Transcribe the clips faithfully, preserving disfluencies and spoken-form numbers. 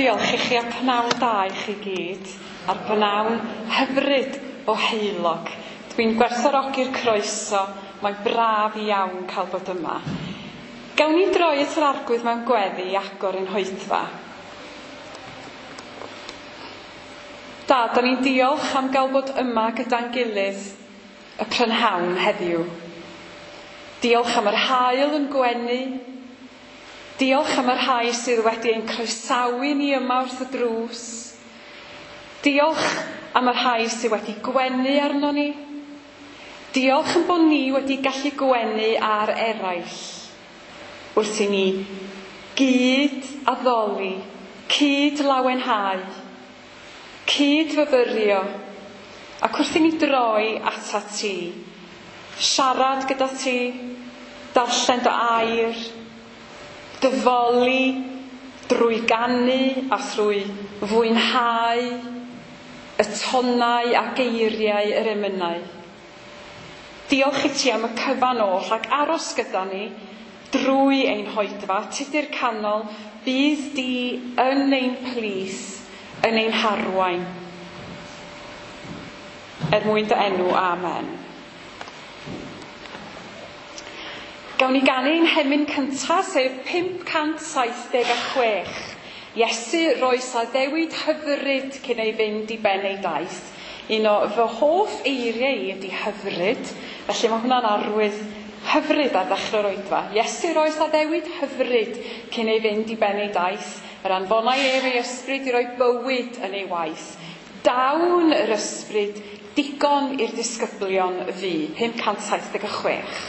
Diolch i chi a pnawn da i chi gyd, a'r pnawn hyfryd o heulog. Dwi'n gwerthfawrogi'r croeso, mae'n braf iawn cael bod yma. Gawn ni droi at yr Arglwydd mewn gweddi i agor ein hoedfa. Da, da ni'n diolch am gael bod yma gyda'n gilydd y prynhawn heddiw. Diolch am yr haul yn gwenu. Diolch am y rhai sydd wedi ein croesawu ni yma wrth y drws. Diolch am y rhai sydd wedi gwenu arno ni. Diolch am bod ni wedi gallu gwenu ar eraill. Wrth i ni gyd addoli, cyd lawenhau, cyd fyfyrio, ac wrth i ni droi atat ti, siarad gyda ti, darllen dy air, dyfoli drwy ganu a thrwy fwynhau y tonau a geiriau yr emynau. Diolch i ti am y cyfan oll ac aros gyda ni drwy ein hoedfa, Tudur Canol, bydd di yn ein plith, yn ein harwain. Er mwyn dy enw, amen. Gawn ni ganu ein hemyn cyntaf, sef pump cant saith deg a chwech. Iesu roes addewid hyfryd cyn ei fynd i ben ei daith. Un o fy hoff eiriau i ydy hyfryd, felly mae hwnna'n arwydd hyfryd ar ddechrau'r oedfa. Iesu roes addewid hyfryd cyn ei fynd i ben ei daith. Yr anfonai ef ei ysbryd i roi bywyd yn ei waith. Dawn yr ysbryd digon i'r disgyblion fu. pump cant saith deg a chwech.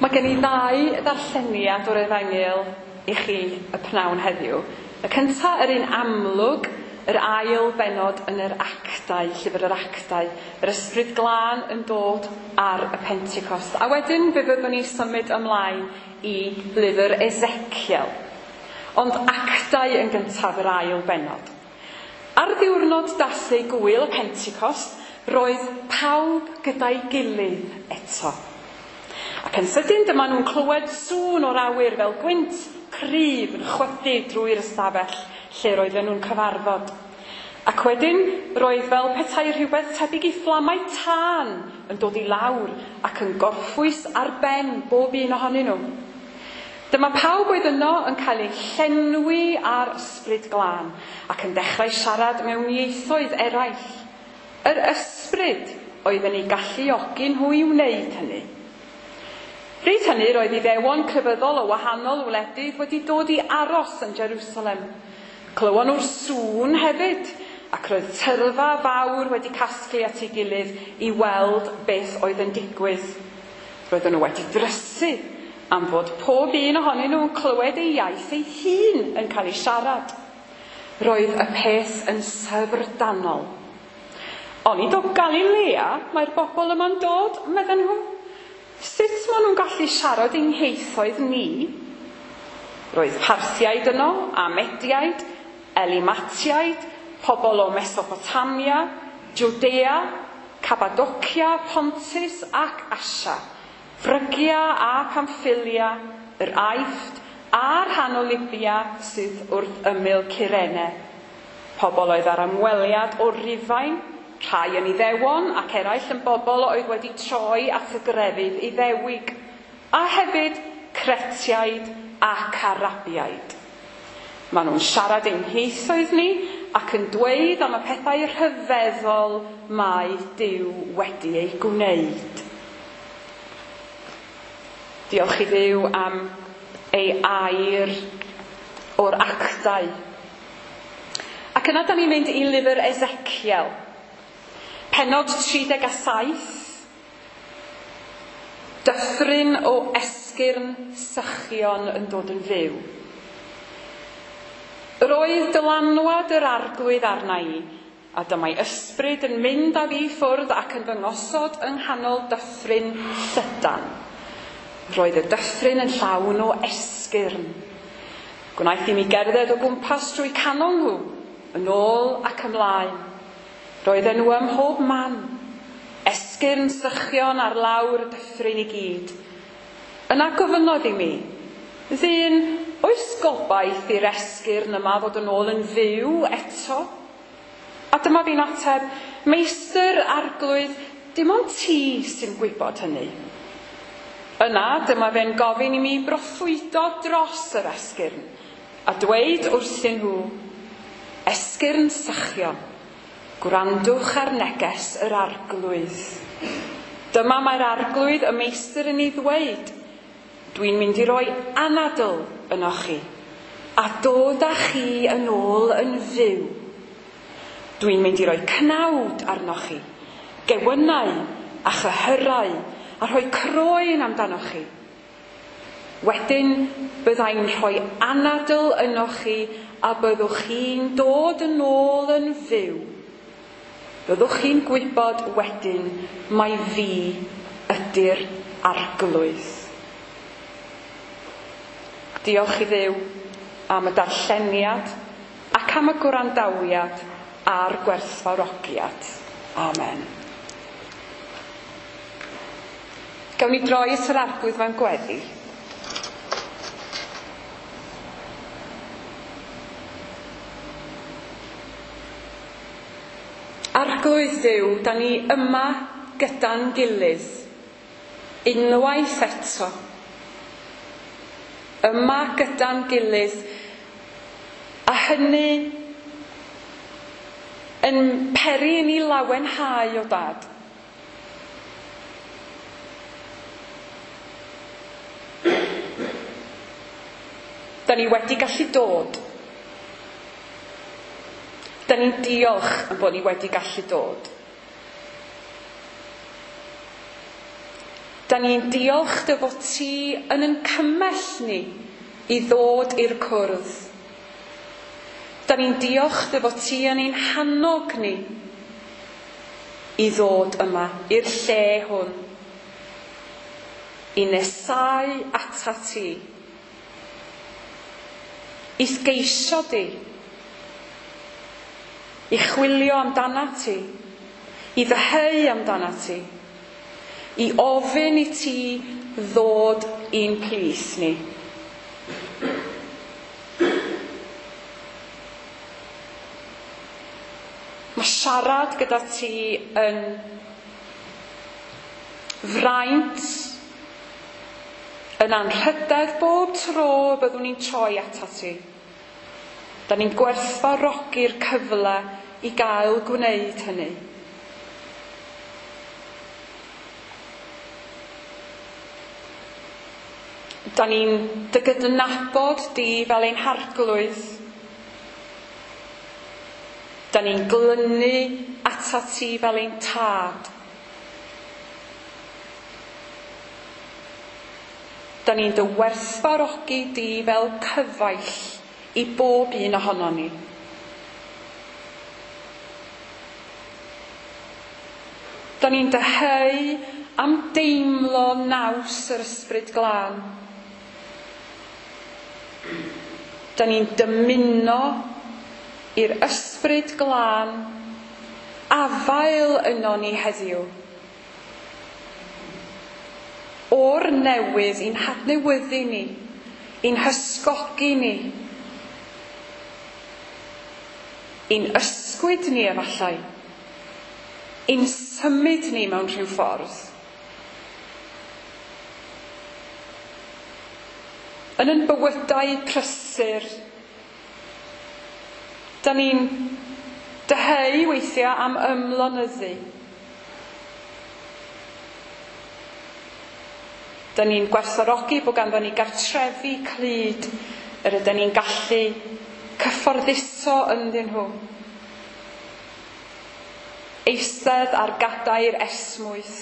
Mae gen i ddau ddarlleniad o'r Efengyl i chi y pnawn heddiw. Y cyntaf, yr un amlwg, yr ail bennod yn yr Actau, llyfr yr Actau, yr Ysbryd Glân yn dod ar y Pentecost. A wedyn fe fyddwn ni symud ymlaen i lyfr Ezekiel. Ond Actau yn gyntaf, yr ail bennod. Ar ddiwrnod dathlu gŵyl y Pentecost, roedd pawb gyda'i gilydd eto. Ac yn sydyn dyma nhw'n clywed sŵn o'r awyr fel gwynt cryf yn chwythu drwy'r ystafell lle roedden nhw'n cyfarfod. Ac wedyn roedd fel petai rhywbeth tebyg i fflamau tân yn dod i lawr ac yn gorffwys ar ben bob un ohonyn nhw. Dyma pawb oedd yno yn cael eu llenwi ar Ysbryd Glân ac yn dechrau siarad mewn ieithoedd eraill. Yr ysbryd oedd yn eu galluogi nhw i wneud hynny. Bryd hynny roedd Iddewon crefyddol o wahanol wledydd wedi dod i aros yn Jerusalem. Clywon nhw'r sŵn hefyd, ac roedd tyrfa fawr wedi casglu at ei gilydd i weld beth oedd yn digwydd. Roedden nhw wedi drysu am fod pob un ohonyn nhw'n clywed ei iaith ei hun yn cael ei siarad. Roedd y peth yn syfrdanol. Onid o Galilea mae'r bobl yma'n dod, medden nhw. Sut maen nhw'n gallu siarad ein hieithoedd ni? Roedd Parthiaid yno, a Mediaid, Elimatiaid, pobl o Mesopotamia, Judea, Cappadocia, Pontus ac Asia, Phrygia a Pamphylia, yr Aifft a'r rhan o Libia sydd wrth ymyl Cyrene. Pobl oedd ar ymweliad o Rufain, rhai yn Iddewon ac eraill yn bobl oedd wedi troi at y grefydd Iddewig, a hefyd Cretiaid ac Arabiaid. Maen nhw'n siarad ein hieithoedd ni ac yn dweud am y pethau rhyfeddol mae Duw wedi eu gwneud. Diolch i Dduw am ei air o'r Actau. Ac yna da ni'n mynd i lyfr Ezekiel. Pennod tri deg a saith, dyffryn o esgyrn sychion yn dod yn fyw. Roedd dylanwad yr Arglwydd arna i, a dyma'i ysbryd yn mynd â fi ffwrdd ac yn fy ngosod yng nghanol dyffryn llydan. Roedd y dyffryn yn llawn o esgyrn. Gwnaeth i mi gerdded o gwmpas drwy canol nhw, yn ôl ac ymlaen. Roedden nhw ym mhob man, esgyrn sychion ar lawr y dyffryn i gyd. Yna gofynnodd i mi, ddyn, oes gobaith i'r esgyrn yma fod yn ôl yn fyw eto? A dyma fi'n ateb, Meistr Arglwydd, dim ond ti sy'n gwybod hynny. Yna, dyma fe'n gofyn i mi broffwydo dros yr esgyrn, a dweud wrthyn nhw, esgyrn sychion, gwrandwch ar neges yr Arglwydd. Dyma mae'r Arglwydd y Meistr yn ei ddweud, dwi'n mynd i roi anadl ynoch chi, a dod â chi yn ôl yn fyw. Dwi'n mynd i roi cnawd arnoch chi, gewynnau a chyhyrau, a rhoi croen amdanoch chi. Wedyn byddai'n rhoi anadl ynoch chi a byddwch chi'n dod yn ôl yn fyw. Byddwch chi'n gwybod wedyn mai fi ydy'r Arglwydd. Diolch i Dduw am y darlleniad ac am y gwrandawiad a'r gwerthfawrogiad. Amen. Gawn ni droi at yr Arglwydd mewn gweddi. Arglwydd Dduw, da ni yma gyda'n gilydd, unwaith eto. Yma gyda'n gilydd, a hynny yn peri i ni lawenhau o Dad. Da ni wedi gallu dod. Da ni'n diolch yn bod ni wedi gallu dod. Da ni'n diolch dy fod ti yn yn cymell ni i ddod i'r cwrdd. Da ni'n diolch dy fod ti yn ein hannog ni i ddod yma, i'r lle hwn, i nesáu ata ti, i'th geisio di, i chwilio amdana ti, i ddyheu amdana ti, i ofyn i ti ddod i'n plith ni. Mae siarad gyda ti yn fraint, yn anrhydedd bob tro byddwn ni'n troi atat ti. Da ni'n gwerthfawrogi'r cyfle i gael gwneud hynny. Da ni'n dy gydnabod di fel ein harglwydd. Da ni'n glynu atat ti fel ein tad. Da ni'n dy werthfawrogi di fel cyfaill i bob un ohonon ni. Da ni'n dyheu am deimlo naws yr Ysbryd Glân. Da ni'n dymuno i'r Ysbryd Glân afael yno ni heddiw. O'r newydd i'n hadnewyddu ni, i'n hysgogi ni, i'n ysgwyd ni efallai, i'n symud ni mewn rhyw ffordd. Yn ein bywydau prysur, da ni'n dyheu weithiau am ymlonyddu. Da ni'n gwerthfawrogi bod ganddo ni gartrefi clyd yr ydyn ni'n gallu cyfforddiso ynddyn nhw. Eistedd ar gadair esmwyth,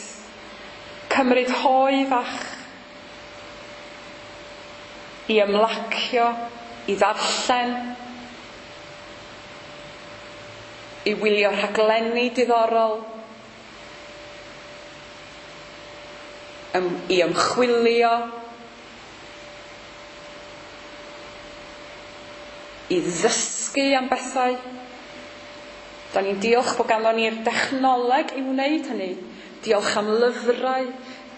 cymryd hoe fach, i ymlacio, i ddarllen, i wylio rhaglenni diddorol, i ymchwilio, i ddysgu am bethau. Da ni'n diolch bod ganddo ni'r dechnoleg i wneud hynny. Diolch am lyfrau,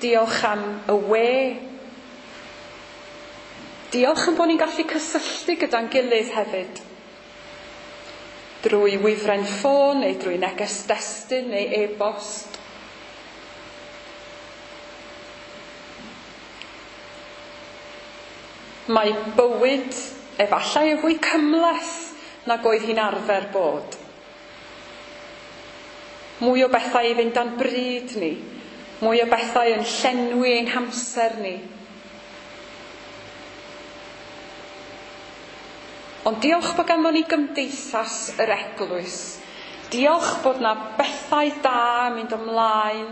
diolch am y we. Diolch am bod ni'n gallu cysylltu gyda'n gilydd hefyd. Drwy wifren ffôn neu drwy neges destun neu e-bost. Mae bywyd efallai yn fwy cymhleth nag oedd hi'n arfer bod. Mwy o bethau i fynd dan bryd ni, mwy o bethau yn llenwi ein hamser ni. Ond diolch bod ganddo ni gymdeithas yr eglwys. Diolch bod na bethau da yn mynd ymlaen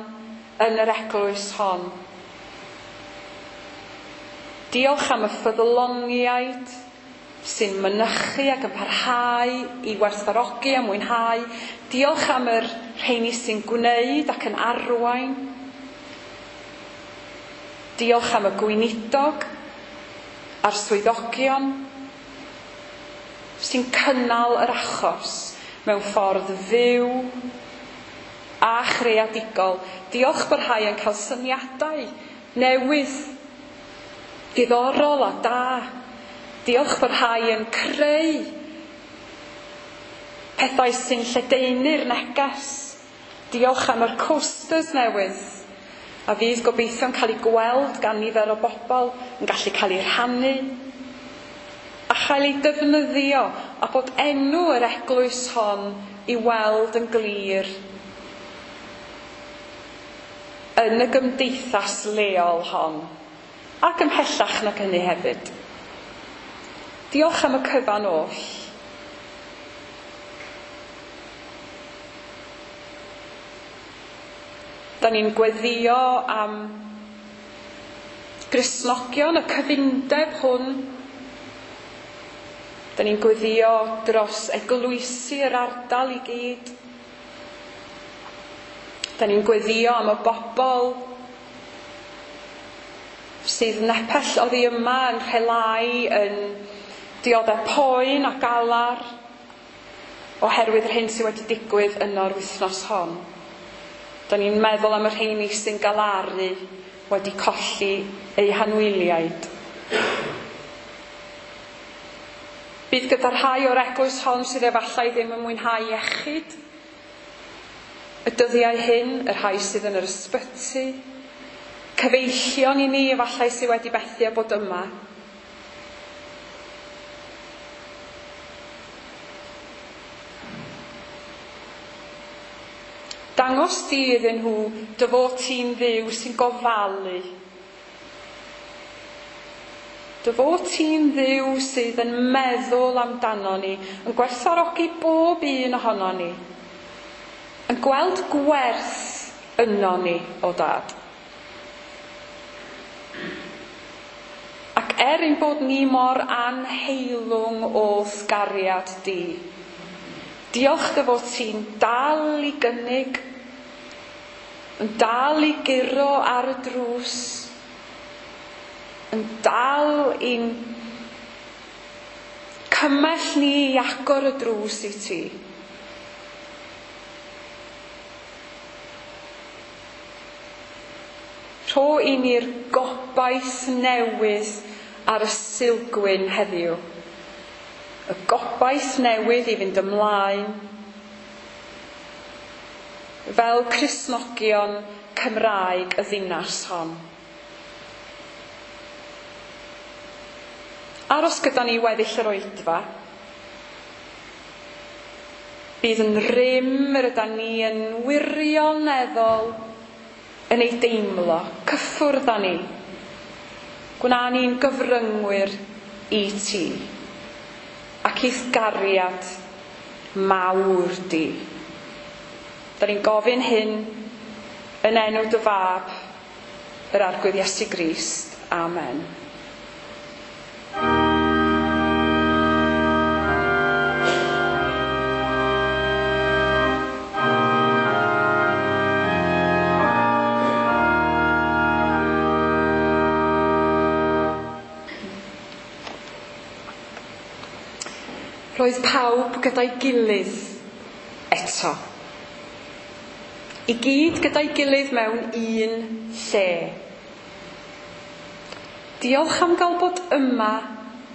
yn yr eglwys hon. Diolch am y ffyddloniaid sy'n mynychu ac yn parhau i werthfawrogi a mwynhau. Diolch am yr rheini sy'n gwneud ac yn arwain. Diolch am y gweinidog a'r swyddogion sy'n cynnal yr achos mewn ffordd fyw a chreadigol. Diolch bod rhai yn cael syniadau newydd, diddorol a da. Diolch bod rhai yn creu pethau sy'n lledaenu'r neges. Diolch am yr coasters newydd a fydd gobeithio'n cael ei gweld gan nifer o bobl, yn gallu cael ei rhannu a chael ei defnyddio, a bod enw yr eglwys hon i weld yn glir yn y gymdeithas leol hon, ac ymhellach nag hynny hefyd. Diolch am y cyfan oll. Da ni'n gweddio am Gristnogion, y cyfundeb hwn. Da ni'n gweddio dros eglwysi yr ardal i gyd. Da ni'n gweddio am y bobl sydd nepell oddi yma yn rhelau, yn dioddef poen a galar oherwydd yr hyn sydd wedi digwydd yno'r wythnos hon. Da ni'n meddwl am y rheini sy'n galaru wedi colli eu hanwyliaid. Bydd gyda rhai o'r eglwys hon sydd efallai ddim yn mwynhau iechyd y dyddiau hyn, y rhai sydd yn yr ysbyty, cyfeillion i ni efallai sydd wedi methu â bod yma. Dangos di iddyn nhw dy fod ti'n Dduw sy'n gofalu. Dy fod ti'n Dduw sydd yn meddwl amdano ni, yn gwerthfawrogi bob un ohono ni, yn gweld gwerth yno ni, o Dad. Ac er ein bod ni mor anheilwng o'th gariad di, diolch dy fod ti'n dal i gynnig, yn dal i guro ar y drws, yn dal i'n cymell ni i agor y drws i ti. Rho i ni'r gobaith newydd ar y Sulgwyn heddiw. Y gobaith newydd i fynd ymlaen fel Cristnogion Cymraeg y ddinas hon. Aros gyda ni weddill yr oedfa. Bydd yn rym yr ydan ni yn wirioneddol yn ei deimlo, cyffwrdd â ni. Gwna ni'n gyfryngwyr i ti ac i'th gariad mawr di. Da ni'n gofyn hyn yn enw dy fab, yr Arglwydd Iesu Grist. Amen. Roedd pawb gyda'i gilydd eto. I gyd gyda'i gilydd mewn un lle. Diolch am gael bod yma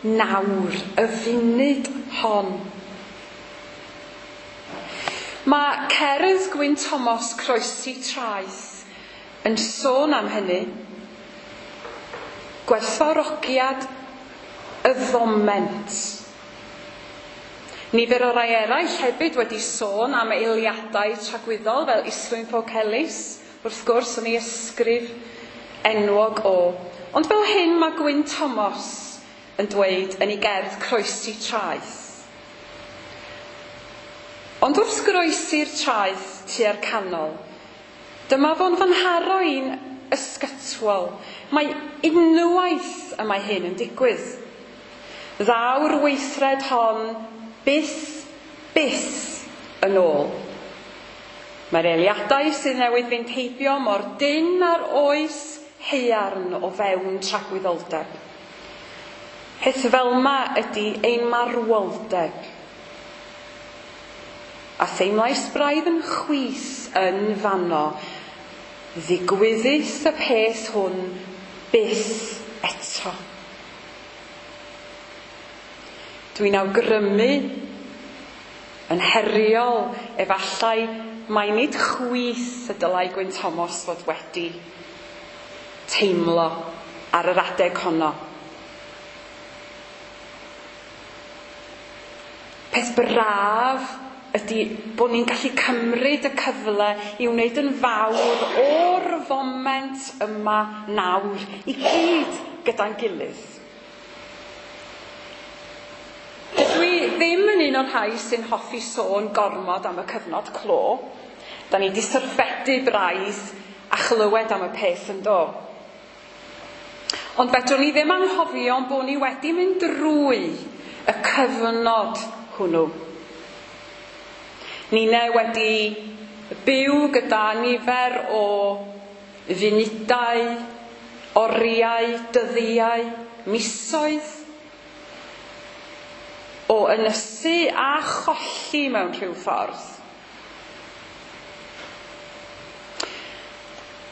nawr, y funud hon. Mae cerdd Gwyn Thomas Croesi Traeth yn sôn am hynny. Gwerthfawrogiad y foment. Nifer o rai eraill hefyd wedi sôn am eiliadau tragwyddol fel Islwyn Ffowc Elis, wrth gwrs yn ei ysgrif enwog o. Ond fel hyn mae Gwyn Thomas yn dweud yn ei gerdd Croesi Traeth. Ond wrth groesi'r traeth tua'r canol, dyma fo'n fy nharo i'n ysgytwol. Mae unwaith y mae hyn yn digwydd. Ddaw'r weithred hon byth, byth yn ôl. Mae'r eiliadau sydd newydd fynd heibio mor dynn ar oes haearn o fewn tragwyddoldeb. Peth fel yma ydy ein marwoldeb. A theimlais braidd yn chwith yn fanno, ddigwyddith y peth hwn byth eto. Dwi'n awgrymu yn heriol efallai mai nid chwith y dylai Gwyn Thomas fod wedi teimlo ar yr adeg honno. Peth braf ydy bod ni'n gallu cymryd y cyfle i wneud yn fawr o'r foment yma nawr i gyd gyda'n gilydd. Dydw i ddim yn un o'r rhai sy'n hoffi sôn gormod am y cyfnod clo. Da ni 'di syrffedu braidd a chlywed am y peth yn do. Ond fedrwn ni ddim anghofio bod ni wedi mynd drwy y cyfnod hwnnw. Ninne wedi byw gyda nifer o funudau, oriau, dyddiau, misoedd o ynysu a cholli mewn rhyw ffordd.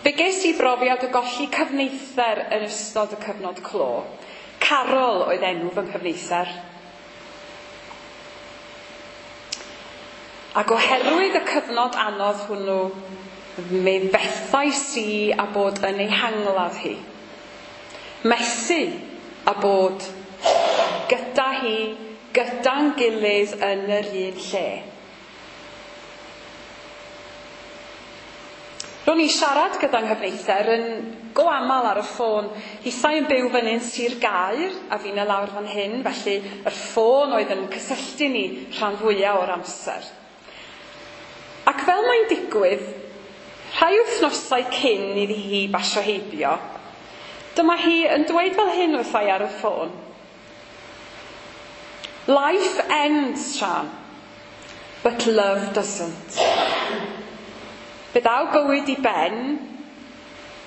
Fe ges i brofiad o golli cyfneither yn ystod y cyfnod clo. Carol oedd enw fy nghyfneither. Ac oherwydd y cyfnod anodd hwnnw, mi fethais i a bod yn ei hangladd hi. Methu a bod gyda hi, gyda'n gilydd yn yr un lle. Ro'n i'n siarad gyda'n nghyfneither yn go aml ar y ffôn. Hithau yn byw fyny'n Sir Gaer a fi'n lawr fan hyn, felly yr ffôn oedd yn cysylltu ni rhan fwyaf o'r amser. Ac fel mae'n digwydd, rhai wythnosau cyn iddi hi basio heibio, dyma hi yn dweud fel hyn wrtha i ar y ffôn. Life ends, Sian, but love doesn't. Fe ddaw bywyd i ben,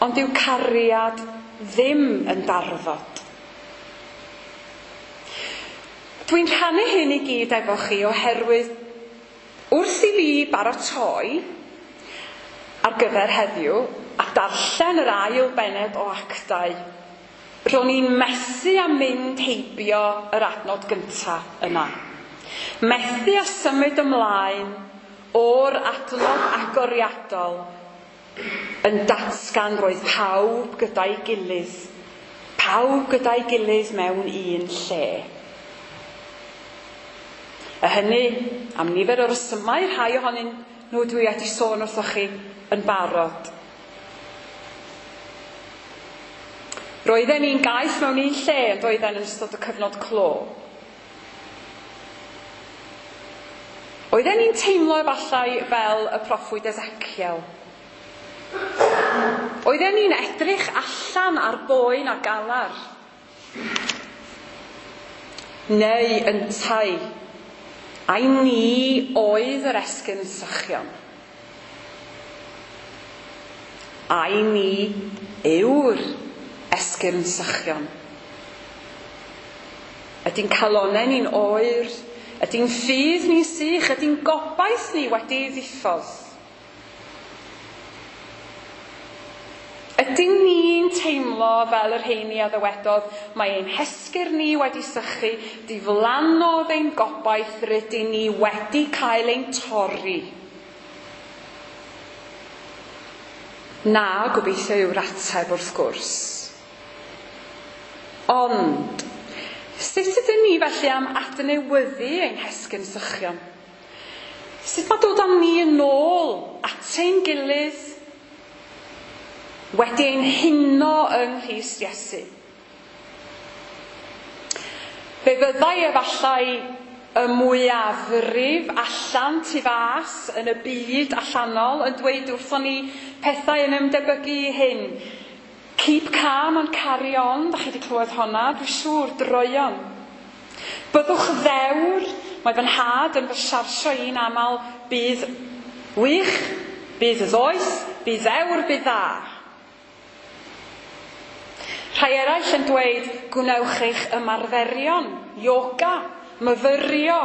ond yw cariad ddim yn darfod. Dwi'n rhannu hyn i gyd efo chi oherwydd wrth i fi baratoi ar gyfer heddiw a darllen yr ail bennod o Actau, ro'n i'n methu a mynd heibio yr adnod gynta yna. Methu a symud ymlaen o'r adnod agoriadol yn datgan roedd pawb gyda'i gilydd, pawb gyda'i gilydd mewn un lle. A hynny, am nifer o resymau, rhai ohonyn nhw dwi wedi sôn wrthoch chi yn barod. Roedden ni'n gaeth mewn un lle yn doedden yn ystod y cyfnod clo. Oedden ni'n teimlo efallai fel y proffwyd Ezekiel. Oedden ni'n edrych allan ar boen a galar. Neu yntau, ai ni oedd yr esgyrn sychion. Ai ni yw'r esgyrn sychion. Ydy'n calonnau ni'n oer? Ydy'n ffydd ni'n sych? Ydy'n gobaith ni wedi ei ddiffodd? Ydyn ni'n teimlo fel yr rheini a ddywedodd, mae ein hesgyrn ni wedi sychu, diflannodd ein gobaith, rydyn ni wedi cael ein torri? Na, gobeithio yw'r ateb wrth gwrs. Ond, sut ydyn ni felly am adnewyddu ein hesgyrn sychion? Sut mae dod â ni yn ôl at ein gilydd, wedi ein huno yng Nghrist Iesu? Fe fyddai efallai y mwyafrif allan tu fas yn y byd allanol yn dweud wrthon ni pethau yn ymdebygu i hyn. Keep calm and carry on, da chi wedi clywed honna, dwi'n siŵr, droeon. Byddwch ddewr, mae fy nhad yn fy siarsio i'n aml, bydd wych, bydd ddoeth, bydd ddewr, bydd dda. Rhai eraill yn dweud, gwnewch eich ymarferion, yoga, myfyrio,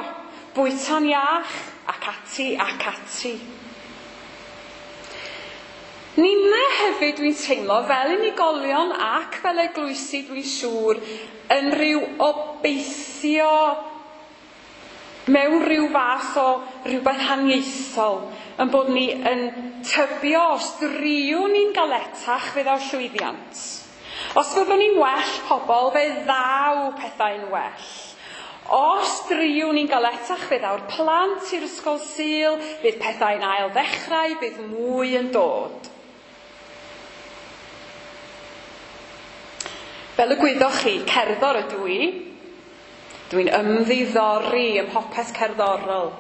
bwyta'n iach, ac ati, ac ati. Ninne hefyd dwi'n teimlo fel unigolion ac fel eglwysi dwi'n siŵr yn rhyw obeithio mewn rhyw fath o rhywbeth haniaethol, yn bod ni yn tybio os driwn ni'n galetach fe ddaw llwyddiant. Os fyddwn ni'n well pobl, fe ddaw pethau'n well. Os driwn ni'n galetach, fe ddaw'r plant i'r ysgol Sul, bydd pethau'n ail ddechrau, bydd mwy yn dod. Fel y gwyddoch chi, cerddor ydw i. Dwi'n ymddiddori ym mhopeth cerddorol.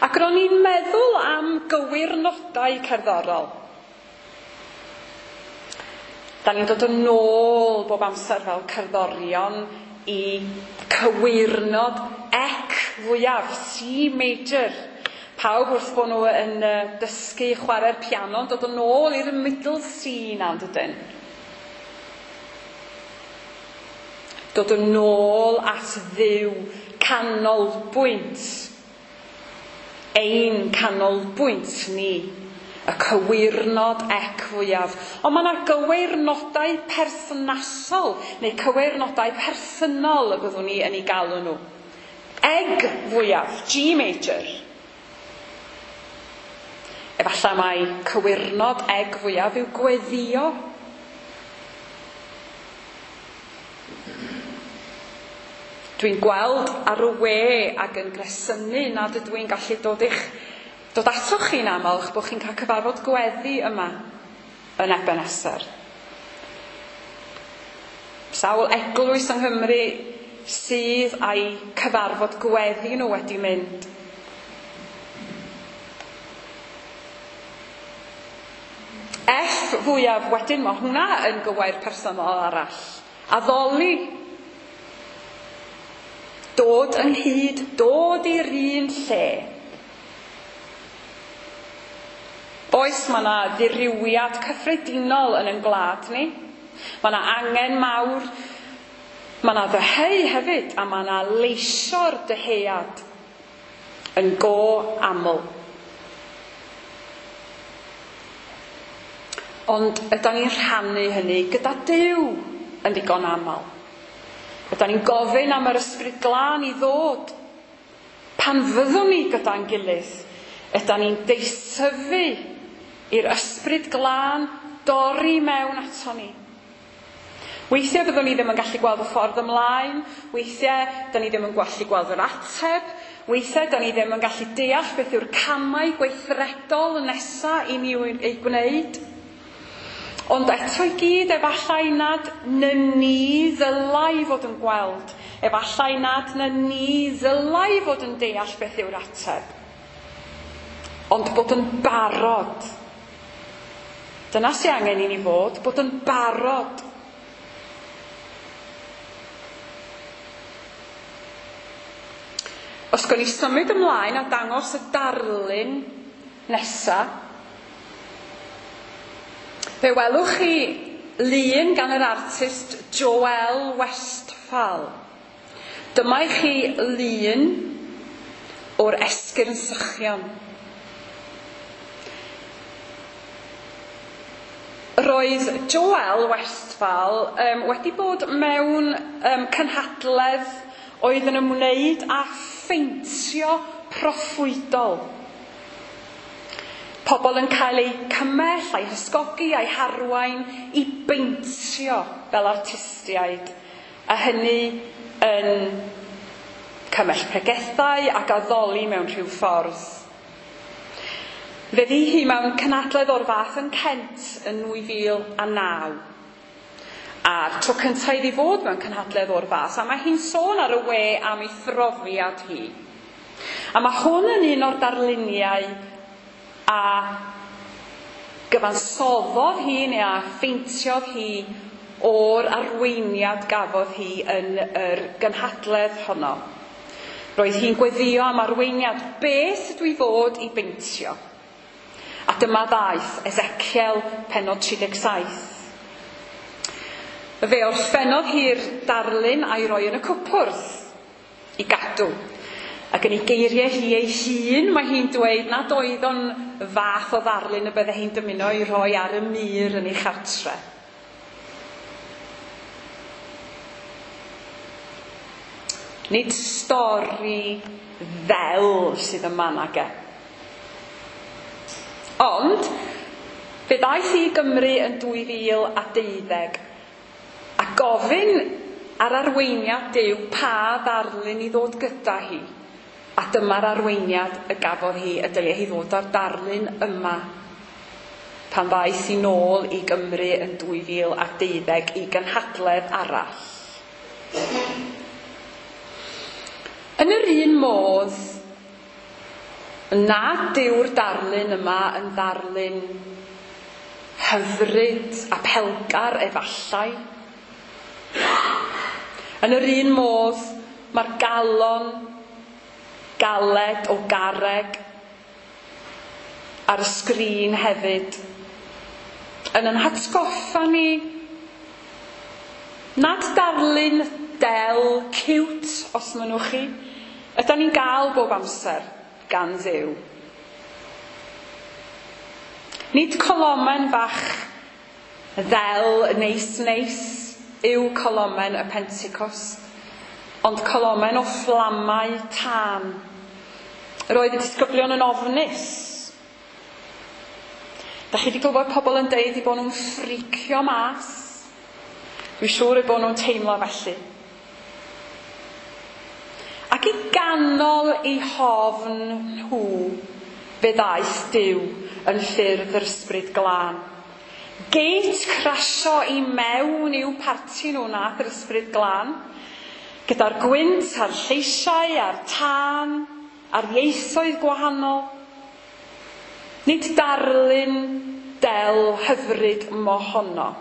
Ac ro'n i'n meddwl am gywirnodau cerddorol. Da ni'n dod yn ôl bob amser fel cerddorion i cywirnod ec fwyaf, C major. Pawb wrth bod nhw yn dysgu chwarae'r piano yn dod yn ôl i'r middle C na, dydyn? Dod yn ôl at Dduw, canolbwynt. Ein canolbwynt ni, y cywirnod ec fwyaf. Ond mae yna gywirnodau perthnasol, neu cywirnodau perthynol y byddwn ni yn ei galw nhw. Eg fwyaf, G major. Efallai mai cywirnod eg fwyaf yw gweddio. Dwi'n gweld ar y we ac yn gresynu nad ydw i'n gallu dod i'ch dod atoch chi'n aml, eich bod chi'n cael cyfarfod gweddi yma yn Ebeneser. Sawl eglwys yng Nghymru sydd â'i cyfarfod gweddi nhw wedi mynd. F fwyaf wedyn, mae hwnna yn gywair personol arall. Addoli. Dod ynghyd, dod i'r un lle. Oes, mae yna ddirywiad cyffredinol yn ein gwlad ni. Mae yna angen mawr, mae yna ddyheu hefyd, a mae yna leisio'r dyhead yn go aml. Ond ydan ni'n rhannu hynny gyda Duw yn ddigon aml. Ydan ni'n gofyn am yr Ysbryd Glân i ddod. Pan fyddwn ni gyda'n gilydd, ydan ni'n deisyfu i'r Ysbryd Glân dorri mewn ato ni. Weithiau fyddwn ni ddim yn gallu gweld y ffordd ymlaen, weithiau da ni ddim yn gallu gweld yr ateb, weithiau da ni ddim yn gallu deall beth yw'r camau gweithredol nesa i ni eu gwneud. Ond eto i gyd, efallai nad na ni ddylai fod yn gweld, efallai nad na ni ddylai fod yn deall beth yw'r ateb. Ond bod yn barod. Dyna sy'n angen i ni fod, bod yn barod. Os gawn ni symud ymlaen a dangos y darlun nesa, fe welwch chi lun gan yr artist Joel Westphal. Dyma i chi lun o'r esgyrn sychion. Roedd Joel Westphal um, wedi bod mewn um, cynhadledd oedd yn ymwneud â pheintio proffwydol. Pobl yn cael eu cymell, eu hysgogi, eu harwain i beintio fel artistiaid, a hynny yn cymell pregethau ac addoli mewn rhyw ffordd. Fe ddi hi mewn cynhadledd o'r fath yn Kent yn nwy fil a naw. A'r tro cyntaf iddi fod mewn cynhadledd o'r fath, a mae hi'n sôn ar y we am ei phrofiad hi. A mae hwn yn un o'r darluniau a gyfansoddodd hi neu a pheintiodd hi o'r arweiniad gafodd hi yn yr gynhadledd honno. Roedd hi'n gweddio am arweiniad, beth ydw i fod i beintio? A dyma ddaeth Ezekiel pennod tri deg saith. Fe orffennodd hi'r darlun a'i roi yn y cwpwrdd i gadw. Ac yn ei geiriau hi ei hun, mae hi'n dweud nad oedd o'n fath o ddarlun y bydde hi'n dymuno i roi ar y mur yn ei chartre. Nid stori ddel sydd yma nage. Ond, fe ddaeth hi i Gymru yn dwy fil a deuddeg a gofyn ar arweiniad Duw pa ddarlun i ddod gyda hi. A dyma'r arweiniad y gafodd hi, y dylia hi ddod â'r darlun yma pan ddaeth hi nôl i Gymru yn dwy fil a deuddeg i gynhadledd arall. Yn yr un modd, nad yw'r darlun yma yn ddarlun hyfryd a pelgar efallai. Yn yr un modd, mae'r galon galed o garreg ar y sgrin hefyd yn ein hatgoffa ni nad darlun del, cute, os mynnwch chi, ydan ni'n gael bob amser gan Dduw. Nid colomen fach ddel neis neis yw colomen y Pentecost, ond colomen o fflamau tân. Roedd y disgyblion yn ofnus. Da chi wedi clywed pobl yn deud eu bod nhw'n ffricio mas. Dwi'n siŵr eu bod nhw'n teimlo felly. Ac i ganol eu hofn nhw, fe ddaeth Duw yn ffurf yr Ysbryd Glân. Gate crasio i mewn i'w parti nhw nath yr Ysbryd Glân, gyda'r gwynt a'r lleisiau a'r tân, a'r ieithoedd gwahanol. Nid darlun del hyfryd mohono.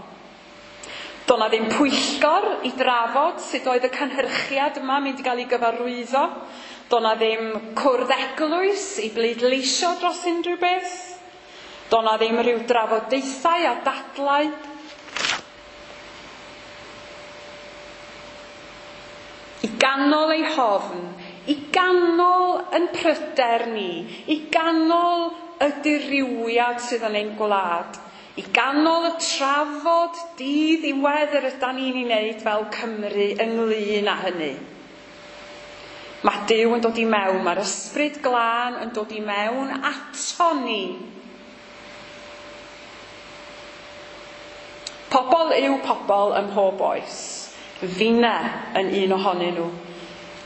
Doedd 'na ddim pwyllgor i drafod sut oedd y cynhyrchiad yma mynd i gael ei gyfarwyddo. Doedd 'na ddim cwrdd eglwys i bleidleisio dros unrhyw beth. Doedd 'na ddim rhyw drafodaethau a dadlau. I ganol ei hofn, i ganol yn pryder ni, i ganol y dirywiad sydd yn ein gwlad, i ganol y trafod dydd ddiwedd yr ydan ni'n ei wneud fel Cymru ynglyn â hynny. Mae Duw yn dod i mewn, mae'r Ysbryd Glân yn dod i mewn ato ni. Pobl yw pobl ym mhob oes. Finne yn un ohonyn nhw.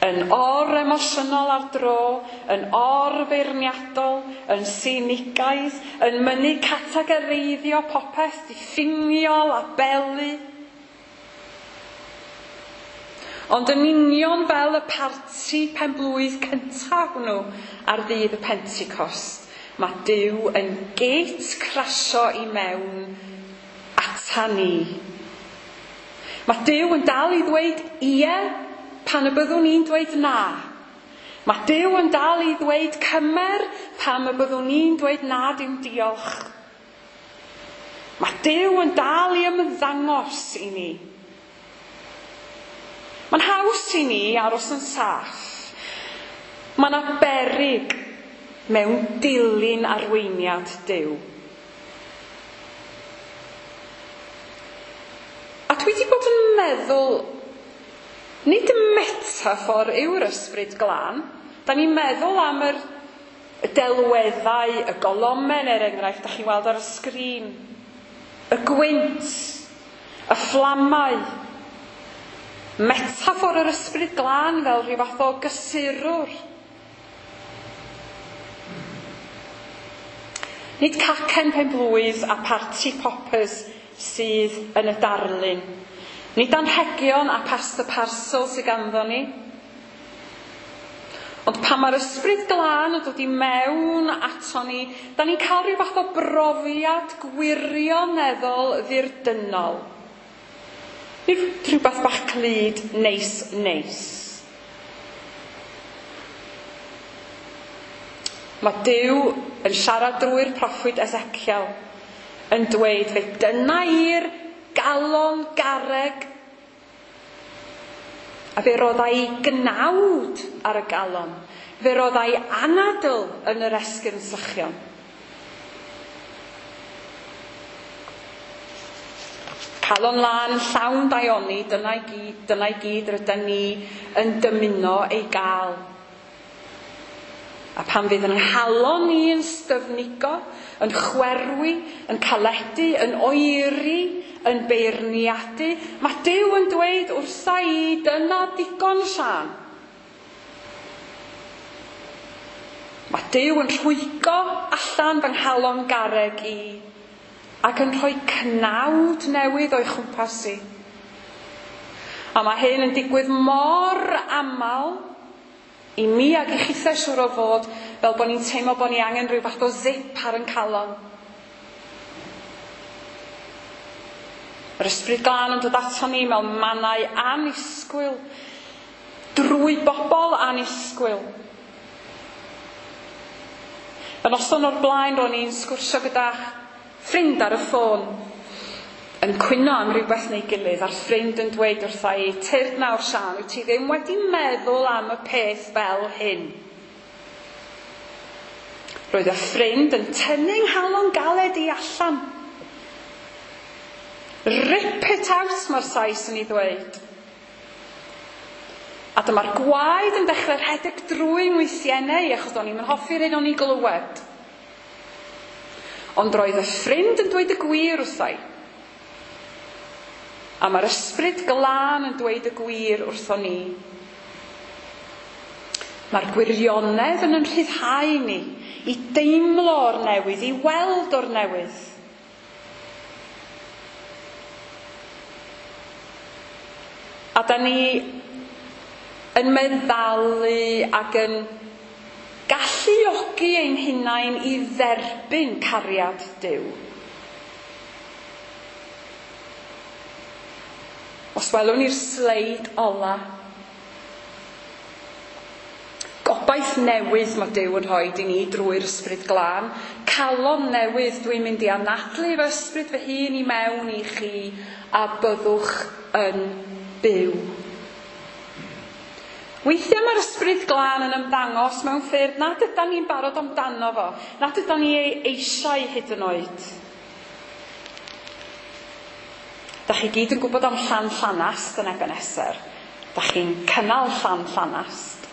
Yn or-emosiynol ar dro, yn or-feirniadol, yn sinigaidd, yn mynnu categoreiddio popeth diffiniol a belu. Ond yn union fel y parti penblwydd cyntaf hwnnw ar ddydd y Pentecost, mae Duw yn gate crasio i mewn ata ni. Mae Duw yn dal i ddweud ie pan y byddwn ni'n dweud na. Mae Duw yn dal i ddweud cymer pan y byddwn ni'n dweud na dim diolch. Mae Duw yn dal i ymddangos i ni. Mae'n haws i ni aros yn saff. Mae yna beryg mewn dilyn arweiniad Duw. A dwi wedi bod yn meddwl, nid metaphor yw'r Ysbryd Glân. Da ni'n meddwl am yr delweddau, y golomen er enghraifft, da chi'n weld ar y sgrin, y gwynt, y fflamau, metaphor yr Ysbryd Glân fel rhyw fath o gysurwr. Nid cacen penblwydd a party poppers sydd yn y darlun. Nid anrhegion a pasta parcel sydd ganddo ni. Ond pan mae'r Ysbryd Glân yn dod i mewn ato ni, da ni'n cael rhyw fath o brofiad gwirioneddol ddirdynol. Nid rhywbeth bach clyd, neis, neis. Mae Duw yn siarad drwy'r proffwyd Ezekiel yn dweud, fe dyna i'r galon garreg, a fe roddai gnawd ar y galon, fe roddai anadl yn yr esgyrn sychion. Calon lân yn llawn daioni, dyna i gyd, dyna i gyd rydyn ni yn dymuno ei gael. A pan fydd yn nghalon ni yn styfnigo, yn chwerwi, yn caledu, yn oeri, yn beirniadu, mae Duw yn dweud wrtha i, dyna digon Siân. Mae Duw yn rhwygo allan fy nghalon garreg i ac yn rhoi cnawd newydd o'i chwmpas i. A mae hyn yn digwydd mor aml i mi ag i chithau siŵr o fod, fel bod ni'n teimlo bod ni angen rhyw fath o zip ar yn calon. Yr Ysbryd Glân yn dod ato ni mewn mannau annisgwyl, drwy bobl annisgwyl. Y noson o'r blaen ro'n i'n sgwrsio gyda ffrind ar y ffôn, yn cwyno am rhywbeth neu gilydd, a'r ffrind yn dweud wrtha i, tyrd nawr Siân, wyt ti ddim wedi meddwl am y peth fel hyn. Roedd y ffrind yn tynnu nghalon galed i allan. Rip it out, mae'r Sais yn ei ddweud. A dyma'r gwaed yn dechrau rhedeg drwy ngwythiennau, achos o'n i'm yn hoffi'r hyn o'n i glywed. Ond roedd y ffrind yn dweud y gwir wrtha i. A mae'r Ysbryd Glân yn dweud y gwir wrtho ni. Mae'r gwirionedd yn yn rhyddhau ni i deimlo o'r newydd, i weld o'r newydd. A da ni yn meddalu ac yn galluogi ein hunain i dderbyn cariad Duw. Os welwn ni'r sleid ola, gobaith newydd mae Duw yn rhoi i ni drwy'r Ysbryd Glân, calon newydd, dwi'n mynd i anadlu fy ysbryd fy hun i mewn i chi a byddwch yn byw. Weithiau mae'r Ysbryd Glân yn ymddangos mewn ffyrdd nad ydan ni'n barod amdano fo, nad ydan ni ei eisiau hyd yn oed. Da chi gyd yn gwybod am Llan Llanast yn Ebenezer. Da chi'n cynnal Llan Llanast.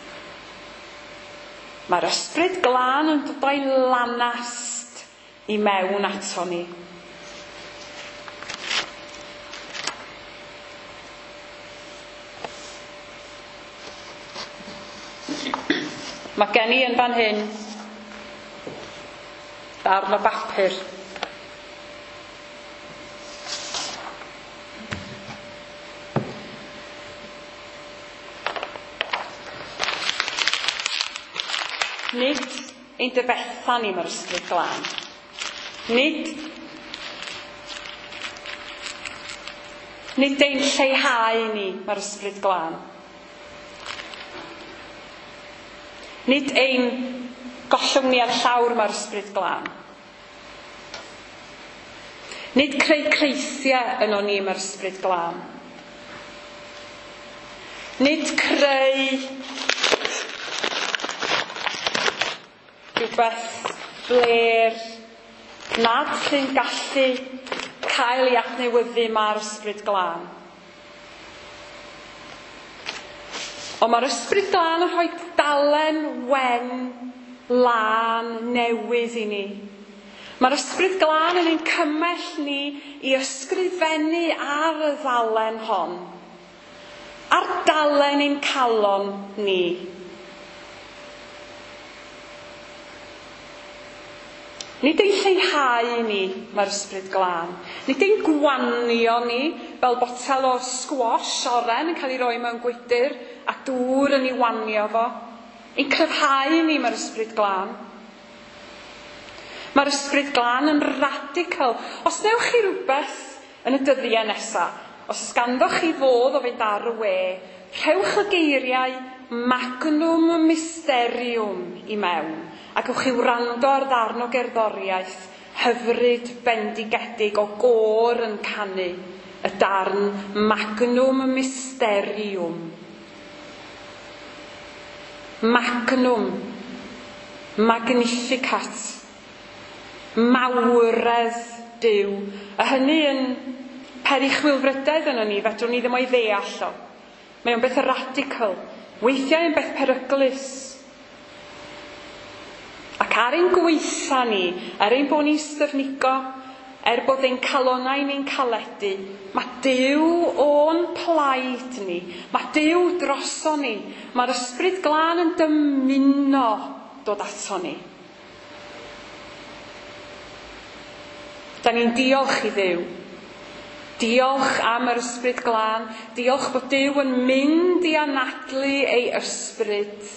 Mae'r Ysbryd Glân yn dod o'i lanast i mewn ato ni. Mae gen i yn fan hyn darn o bapur. Nid ein difetha ni mae'r Ysbryd Glân. Nid, nid ein lleihau ni mae'r Ysbryd Glân. Nid ein gollwng ni ar llawr mae'r Ysbryd Glân. Nid creu creithiau yno ni mae'r Ysbryd Glân. Nid creu rhywbeth bler nad sy'n gallu cael ei adnewyddu mae'r Ysbryd Glân. Ond mae'r Ysbryd Glân yn rhoi dalen wen lân newydd i ni. Mae'r Ysbryd Glân yn ein cymell ni i ysgrifennu ar y ddalen hon. Ar dalen ein calon ni. Nid ein lleihau ni mae'r Ysbryd Glân. Nid ein gwanio ni fel botel o squash oren yn cael ei roi mewn gwydr a dŵr yn ei wanio fo. Ein cryfhau ni mae'r Ysbryd Glân. Mae'r Ysbryd Glân yn radical. Os newch chi rhywbeth yn y dyddiau nesaf, os ganddoch chi fodd o fynd ar y we, rhewch y geiriau magnum mysterium i mewn, a gewch chi wrando ar ddarn o gerddoriaeth hyfryd bendigedig o gôr yn canu y darn magnum mysterium. Magnum, magnificat, mawredd Duw. A hynny yn peri chwilfrydedd yno ni, fedrwn ni ddim o'i ddeall o. Mae o'n beth radical, weithiau yn beth peryglus. Ac ar ein gweitha ni, er ein bod ni'n styfnigo, er bod ein calonnau ni'n caledu, mae Duw o'n plaid ni, mae Duw droso ni, mae'r Ysbryd Glân yn dymuno dod ato ni. Da ni'n diolch i Dduw. Diolch am yr Ysbryd Glân. Diolch bod Duw yn mynd i anadlu ei ysbryd.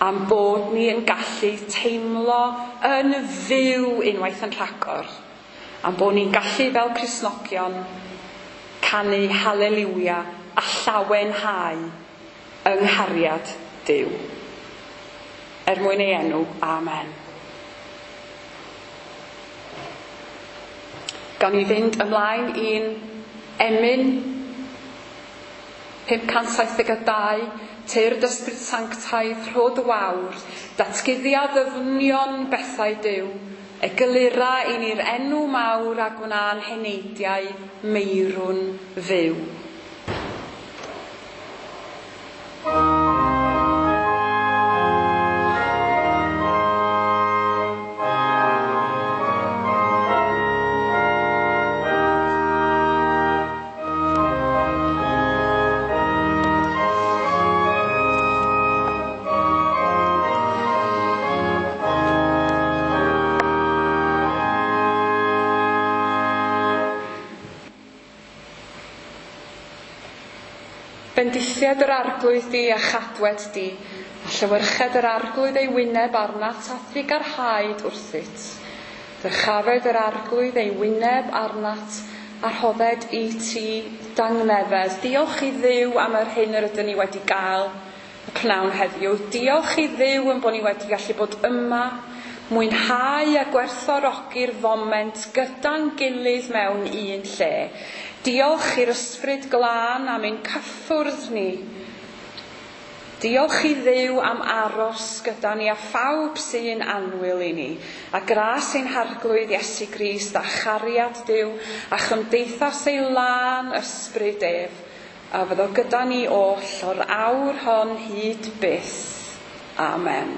Am bod ni yn gallu teimlo yn fyw unwaith yn rhagor. Am bod ni'n gallu fel Cristnogion canu haleliwia a llawenhau yng nghariad Duw. Er mwyn ei enw, amen. Gawn ni fynd ymlaen i'n emyn pum cant saith deg dau, Tyrd Ysbryd Sanctaidd, rho dy wawr, datguddia ddyfnion bethau Duw, eglura i ni'r enw mawr a gwna'n heneidiau meirwn fyw. Bendithiad yr Arglwydd di a chadwed di, a llewyrched yr Arglwydd ei wyneb arnat a thrugarhaed wrthyt. Dyrchafed yr Arglwydd ei wyneb arnat a rhodded i ti dangnefedd. Diolch i Dduw am yr hyn yr ydyn ni wedi gael y pnawn heddiw. Diolch i Dduw yn bod ni wedi gallu bod yma, mwynhau a gwerthfawrogi'r foment gyda'n gilydd mewn un lle. Diolch i'r Ysbryd Glân am ein cyffwrdd ni. Diolch i Dduw am aros gyda ni a phawb sy'n annwyl i ni. A gras ein Harglwydd Iesu Grist a chariad Duw a chymdeithas ei lân ysbryd ef, a fyddo gyda ni oll o'r awr hon hyd byth. Amen.